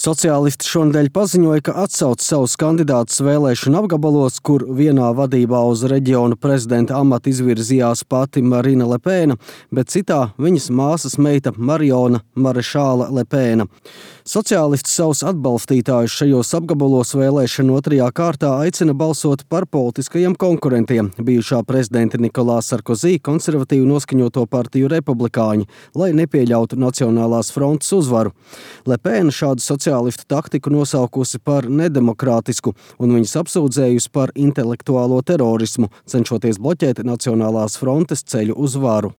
Sociālisti šonedēļ paziņoja, ka atsauc savus kandidātus vēlēšanu apgabalos, kur vienā vadībā uz reģiona prezidenta amatu izvirzījās pati Marine Le Pen, bet citā viņas māsas meita Mariona Marešāla Le Pen. Sociālisti savus atbalstītājus šajos apgabalos vēlēšanu otrajā kārtā aicina balsot par politiskajiem konkurentiem - bijušā prezidenta Nikolā Sarkozī konservatīvi noskaņoto partiju republikāņi, lai nepieļautu Nacionālās frontes uzvaru. Le Pen šādu sociālistu taktiku nosaukusi par nedemokrātisku un viņas apsūdzējusi par intelektuālo terorismu, cenšoties bloķēt Nacionālās frontes ceļu uz varu.